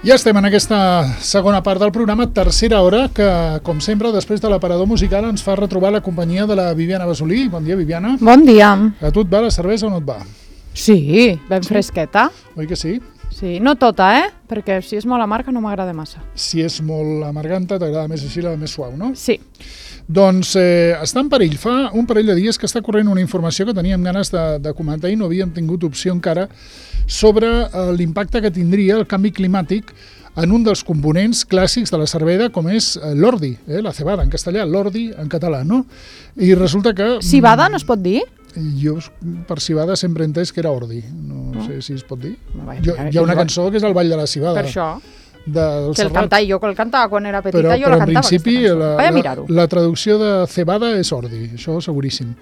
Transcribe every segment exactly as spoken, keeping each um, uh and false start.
Ja estem en aquesta segona part del programa, tercera hora, que, com sempre, després de l'aparador musical ens fa retrobar la companyia de la Viviana Basolí. Bon dia, Viviana. Bon dia. A tu et va la cervesa o no et va? Sí, ben sí. Fresqueta. Oi que sí? Sí, no tota, eh? Perquè si és molt amarga no m'agrada massa. Si és molt amarganta, t'agrada més així, la més suau, no? Sí. Doncs eh, està en perill. Fa un parell de dies que està corrent una informació que teníem ganes de, de comentar i no havíem tingut opció encara sobre eh, l'impacte que tindria el canvi climàtic en un dels components clàssics de la cervesa, com és eh, l'ordi, eh, la cebada en castellà, l'ordi en català, no? I resulta que... Cibada no es pot dir? Jo per cibada sempre he entès que era ordi, no, no. sé si es pot dir. Vai, jo, hi ha una cançó que és el Ball de la Cibada. Per això. De, que el cantava, jo que el cantava quan era petita, però, jo però la cantava. Però en principi la, la, la, la traducció de cebada és ordi, això seguríssim.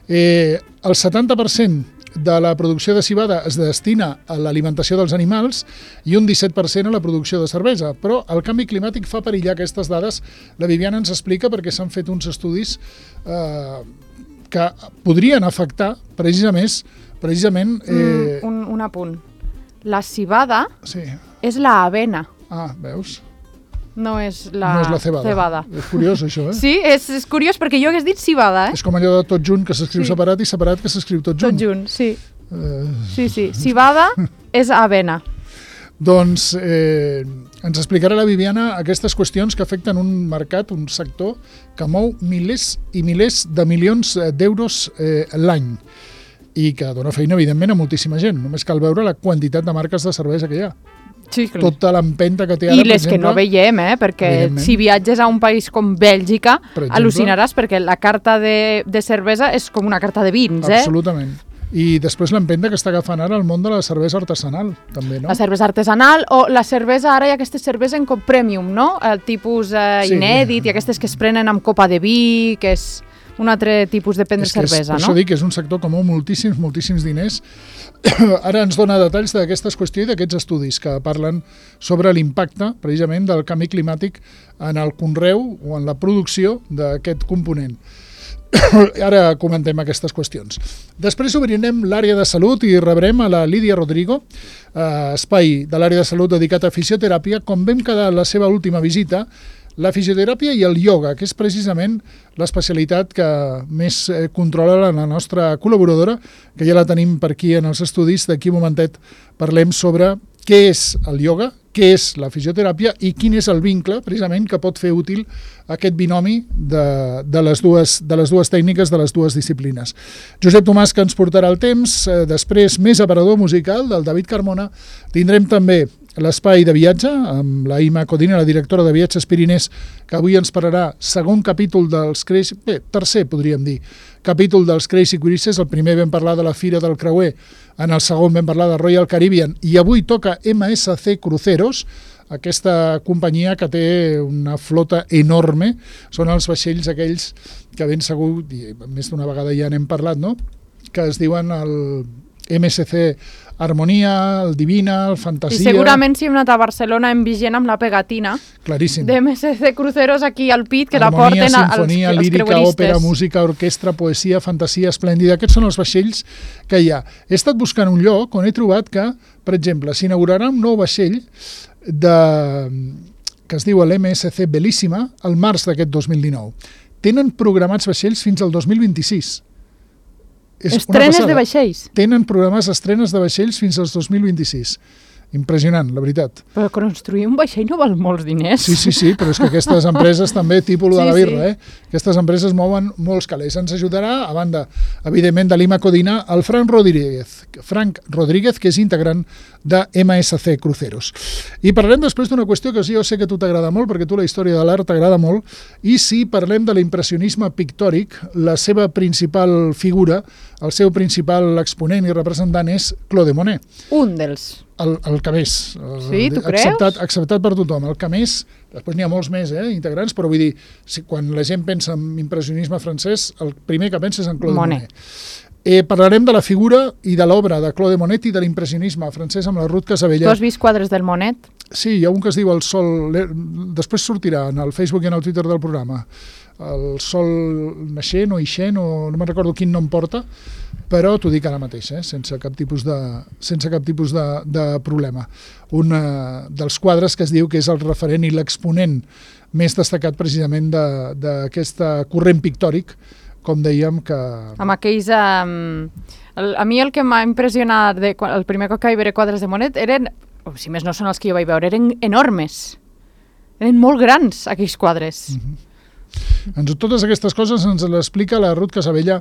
Eh, el setanta per cent de la producció de cibada es destina a l'alimentació dels animals i un disset per cent a la producció de cervesa, però el canvi climàtic fa perillar aquestes dades. La Viviana ens explica perquè s'han fet uns estudis eh, que podrien afectar precisament... precisament eh... mm, un, un apunt. La cibada sí. és la avena. Ah, veus? No és la, no és la cebada. cebada. És curiós, això, eh? Sí, és, és curiós perquè jo hagués dit cibada, eh? És com allò de tot junt que s'escriu sí. separat i separat que s'escriu tot junt. Tot junt, sí. Uh... Sí, sí. Cibada és avena. Doncs eh, ens explicarà la Viviana aquestes qüestions que afecten un mercat, un sector que mou milers i milers de milions d'euros eh, l'any i que dona feina, evidentment, a moltíssima gent. Només cal veure la quantitat de marques de cervesa que hi ha. Sí, clar. Tota l'empenta que té ara, I les per exemple, que no veiem, eh? Perquè si viatges a un país com Bèlgica, per exemple, al·lucinaràs perquè la carta de, de cervesa és com una carta de vins, eh? Absolutament. I després l'empenta que està agafant ara el món de la cervesa artesanal, també, no? La cervesa artesanal o la cervesa, ara hi ha aquestes cerveses en cop premium, no? El tipus eh, sí. inèdit i aquestes que es prenen amb copa de vi, que és un altre tipus de prendre cervesa, és, no? Per això dic que és un sector que mou moltíssims, moltíssims diners. Ara ens dona detalls d'aquestes qüestions i d'aquests estudis que parlen sobre l'impacte, precisament, del canvi climàtic en el conreu o en la producció d'aquest component. Ara comentem aquestes qüestions. Després obrirem l'àrea de salut i rebrem a la Lídia Rodrigo, eh, espai de l'àrea de salut dedicat a fisioteràpia. Com vam quedar a la seva última visita, la fisioteràpia i el ioga, que és precisament l'especialitat que més eh, controla la nostra col·laboradora, que ja la tenim per aquí en els estudis. D'aquí un momentet parlem sobre què és el ioga, què és la fisioteràpia i quin és el vincle, precisament, que pot fer útil aquest binomi de, de, les dues, de les dues tècniques, de les dues disciplines. Josep Tomàs, que ens portarà el temps, eh, després més aparador musical del David Carmona. Tindrem també l'espai de viatge amb la Ima Codina, la directora de Viatges Pirinès, que avui ens parlarà segon capítol dels Crazy... Bé, tercer, podríem dir, capítol dels Crazy Cruises. El primer vam parlar de la Fira del Creuer, en el segon vam parlar de Royal Caribbean i avui toca M S C Cruceros, aquesta companyia que té una flota enorme. Són els vaixells aquells que ben segur, i més d'una vegada ja n'hem parlat, no?, que es diuen el M S C Harmonia, el Divina, el Fantasia... I segurament si hem anat a Barcelona hem vigent amb la pegatina claríssim de M S C Cruceros aquí al pit, que Harmonia, la porten als, sinfonia, als lírica, creueristes. òpera, música, orquestra, poesia, fantasia, esplèndida. Aquests són els vaixells que hi ha. He estat buscant un lloc on he trobat que, per exemple, s'inaugurarà un nou vaixell de, que es diu l'M S C Bellissima al març d'aquest dos mil dinou. Tenen programats vaixells fins al dos mil vint-i-sis. Estrenes de vaixells. Tenen programes estrenes de vaixells fins al dos mil vint-i-sis. Impressionant, la veritat. Però construir un vaixell no val molts diners. Sí, sí, sí, però és que aquestes empreses també, tipus de sí, la birra, sí. eh? Aquestes empreses mouen molts calés. Ens ajudarà, a banda, evidentment, de l'Ima Codina, el Frank Rodríguez, Frank Rodríguez, que és integrant de M S C Cruceros. I parlarem després d'una qüestió que jo sé que a tu t'agrada molt, perquè a tu la història de l'art t'agrada molt, i si parlem de l'impressionisme pictòric, la seva principal figura, el seu principal exponent i representant és Claude Monet. Un dels... El, el que més. Sí, tu creus? Acceptat, acceptat per tothom. El que més, després n'hi ha molts més, eh, integrants, però vull dir, si, quan la gent pensa en impressionisme francès, el primer que pensa és en Claude Monet. Monet. Eh, parlarem de la figura i de l'obra de Claude Monet i de l'impressionisme francès amb la Ruth Casabella. Tu has vist quadres del Monet? Sí, hi ha un que es diu El Sol, després sortirà en el Facebook i en el Twitter del programa. el sol naixent o ixent, o no me'n recordo quin nom porta, però t'ho dic ara mateix, eh? sense cap tipus de, sense cap tipus de, de problema. Un uh, dels quadres que es diu que és el referent i l'exponent més destacat precisament d'aquest corrent pictòric, com dèiem que... Amb aquells... Um, el, a mi el que m'ha impressionat de, el primer cop que vaig veure quadres de Monet eren, o si més no són els que jo vaig veure, eren enormes. Eren molt grans, aquells quadres. Mm-hmm. Ens, totes aquestes coses ens les explica la Ruth Casabella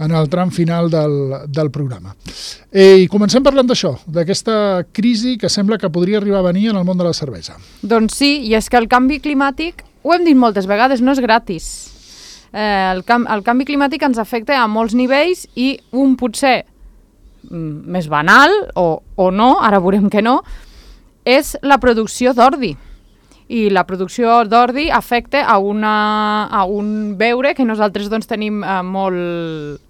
en el tram final del, del programa. Eh, I comencem parlant d'això, d'aquesta crisi que sembla que podria arribar a venir en el món de la cervesa. Doncs sí, i és que el canvi climàtic, ho hem dit moltes vegades, no és gratis. Eh, el, cam el canvi climàtic ens afecta a molts nivells i un potser mm, més banal, o, o no, ara veurem que no, és la producció d'ordi. I la producció d'ordi afecta a, una, a un beure que nosaltres doncs, tenim eh, molt,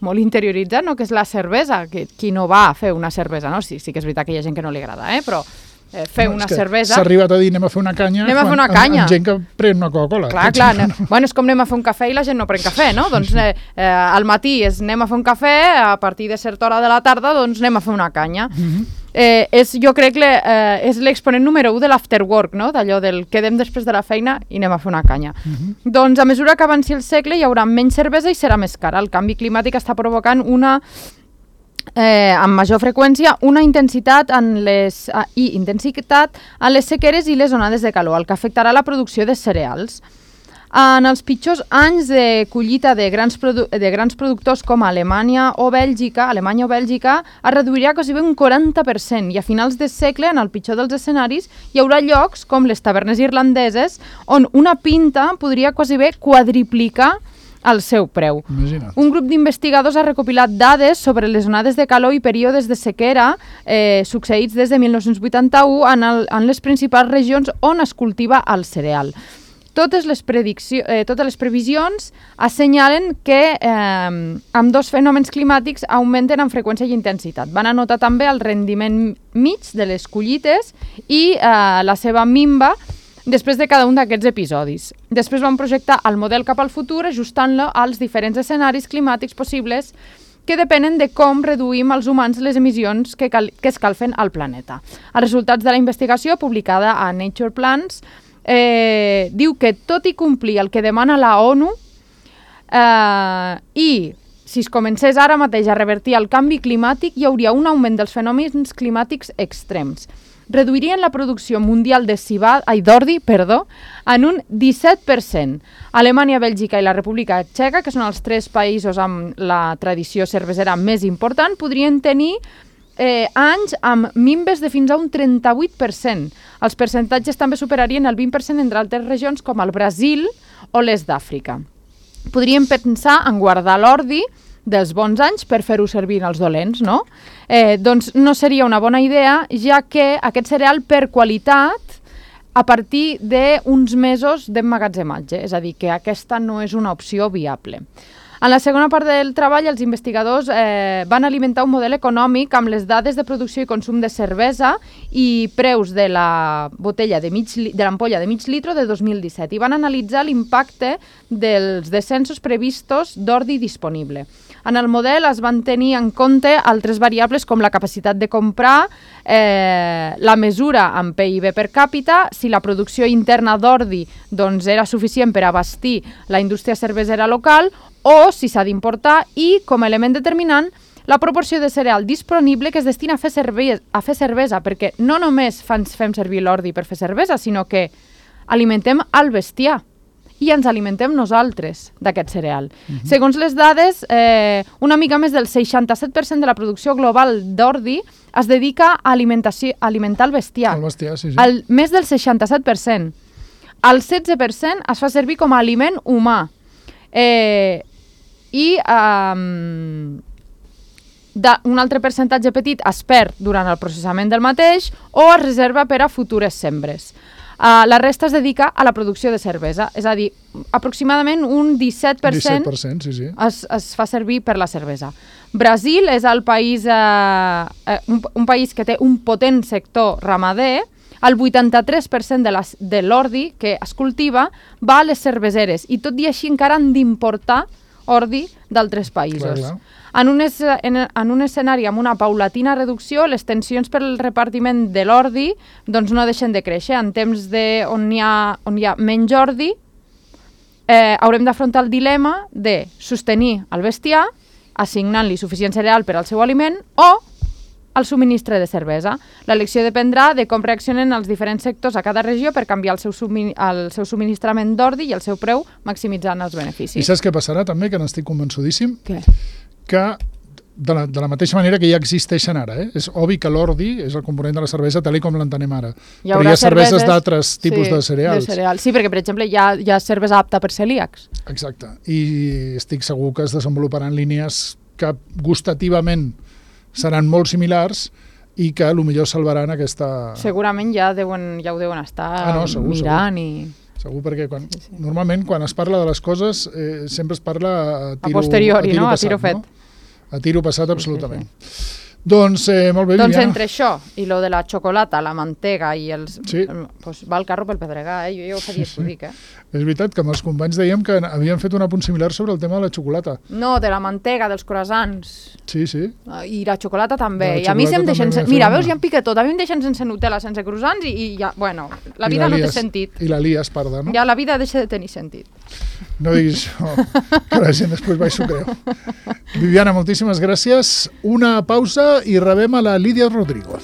molt interioritzat, no? Que és la cervesa, que qui no va a fer una cervesa, no? Sí, sí que és veritat que hi ha gent que no li agrada, eh? Però eh, fer no, una cervesa... S'ha arribat a dir anem a fer una canya, anem a fer una quan, canya. Amb, amb gent que pren una Coca-Cola. Clar, clar, no. Bueno, és com anem a fer un cafè i la gent no pren cafè, no? Doncs eh, eh, al matí és anem a fer un cafè, a partir de certa hora de la tarda doncs anem a fer una canya. Mm-hmm. Eh, és, jo crec que eh, és l'exponent número u de l'afterwork, no? D'allò del quedem després de la feina i anem a fer una canya. Uh-huh. Doncs a mesura que avanci el segle hi haurà menys cervesa i serà més cara. El canvi climàtic està provocant una, eh, amb major freqüència una intensitat en les, eh, i intensitat en les sequeres i les onades de calor, el que afectarà la producció de cereals. En els pitjors anys de collita de grans, de grans productors com Alemanya o Bèlgica, Alemanya o Bèlgica, es reduirà quasi un quaranta per cent i a finals de segle, en el pitjor dels escenaris, hi haurà llocs com les tavernes irlandeses on una pinta podria quasi bé quadriplicar el seu preu. Imagina't. Un grup d'investigadors ha recopilat dades sobre les onades de calor i períodes de sequera eh, succeïts des de mil nou-cents vuitanta-u en, el, en les principals regions on es cultiva el cereal. Totes les, eh, totes les previsions assenyalen que eh, amb dos fenòmens climàtics augmenten en freqüència i intensitat. Van anotar també el rendiment mig de les collites i eh, la seva minva després de cada un d'aquests episodis. Després van projectar el model cap al futur ajustant-lo als diferents escenaris climàtics possibles que depenen de com reduïm els humans les emissions que, cal que escalfen al planeta. Els resultats de la investigació, publicada a Nature Plants, Eh, diu que tot i complir el que demana la ONU eh, i si es comencés ara mateix a revertir el canvi climàtic hi hauria un augment dels fenòmens climàtics extrems. Reduirien la producció mundial de cibada, ai, d'ordi perdó, en un disset per cent. Alemanya, Bèlgica i la República Txeca, que són els tres països amb la tradició cervesera més important, podrien tenir Eh, anys amb minves de fins a un trenta-vuit per cent. Els percentatges també superarien el vint per cent entre altres regions com el Brasil o l'est d'Àfrica. Podríem pensar en guardar l'ordi dels bons anys per fer-ho servir els dolents, no? Eh, doncs no seria una bona idea, ja que aquest cereal per qualitat a partir d'uns mesos d'emmagatzematge, és a dir, que aquesta no és una opció viable. En la segona part del treball, els investigadors eh, van alimentar un model econòmic amb les dades de producció i consum de cervesa i preus de la botella de, mig, de l'ampolla de mig litre de dos mil disset i van analitzar l'impacte dels descensos previstos d'ordi disponible. En el model es van tenir en compte altres variables com la capacitat de comprar, eh, la mesura en P I B per càpita, si la producció interna d'ordi doncs, era suficient per abastir la indústria cervesera local o si s'ha d'importar i, com a element determinant, la proporció de cereal disponible que es destina a fer cervesa, a fer cervesa perquè no només fem servir l'ordi per fer cervesa, sinó que alimentem el bestiar i ens alimentem nosaltres d'aquest cereal. Uh-huh. Segons les dades, eh, una mica més del seixanta-set per cent de la producció global d'ordi es dedica a, alimentació, a alimentar el bestiar. El bestiar, sí, sí. El, més del seixanta-set per cent. El setze per cent es fa servir com a aliment humà. Eh, I um, un altre percentatge petit es perd durant el processament del mateix o es reserva per a futures sembres. Uh, la resta es dedica a la producció de cervesa, és a dir, aproximadament un disset per cent, disset per cent sí, sí. Es, es fa servir per la cervesa. Brasil és el país, uh, uh, un, un país que té un potent sector ramader, el vuitanta-tres per cent de, les, de l'ordi que es cultiva va a les cerveseres i tot i així encara han d'importar ordi d'altres països. Clar, clar. En un, es, en, en un escenari amb una paulatina reducció, les tensions per al repartiment de l'ordi doncs no deixen de créixer. En temps de, on, hi ha, on hi ha menys ordi, eh, haurem d'afrontar el dilema de sostenir el bestiar, assignant-li suficient cereal per al seu aliment, o el subministre de cervesa. L'elecció dependrà de com reaccionen els diferents sectors a cada regió per canviar el seu, submin el seu subministrament d'ordi i el seu preu, maximitzant els beneficis. I saps què passarà també, que n'estic convençudíssim? Què? Que de la, de la mateixa manera que ja existeixen ara, eh? És obvi que l'ordi és el component de la cervesa tal com l'entenem ara. Hi Però hi ha cerveses d'altres tipus sí, de cereals. De cereals. Sí, perquè, per exemple, hi ha, hi ha cervesa apta per celíacs. Exacte. I estic segur que es desenvoluparan línies que gustativament seran molt similars i que potser salvaran aquesta... Segurament ja, deuen, ja ho deuen estar ah, no, segur, mirant segur. i... Segur, perquè quan, sí, sí. normalment quan es parla de les coses eh, sempre es parla a tiro, a posteriori, a tiro no? passat, a tiro fet. No? A tiro passat, absolutament. Sí, sí, sí. Doncs, eh, molt bé, doncs Viviana. entre això i lo de la xocolata, la mantega i els... Sí. Pues va el carro pel pedregar, eh? Jo ja ho fa dies que ho dic, eh? És veritat que amb els companys dèiem que havien fet un apunt similar sobre el tema de la xocolata. No, de la mantega, dels croissants. Sí, sí. I la xocolata també. La I a mi se'm deixen... Sen... Mira, veus, una... ja em pica tot. A mi em deixen sense Nutella, sense croissants i, i ja... Bueno, la vida la lies, no té sentit. I la lies parda, no? Ja la vida deixa de tenir sentit. No diguis això, que la gent després va i s'ho creu. Viviana, moltíssimes gràcies. Una pausa i rebem a la Lídia Rodrigo.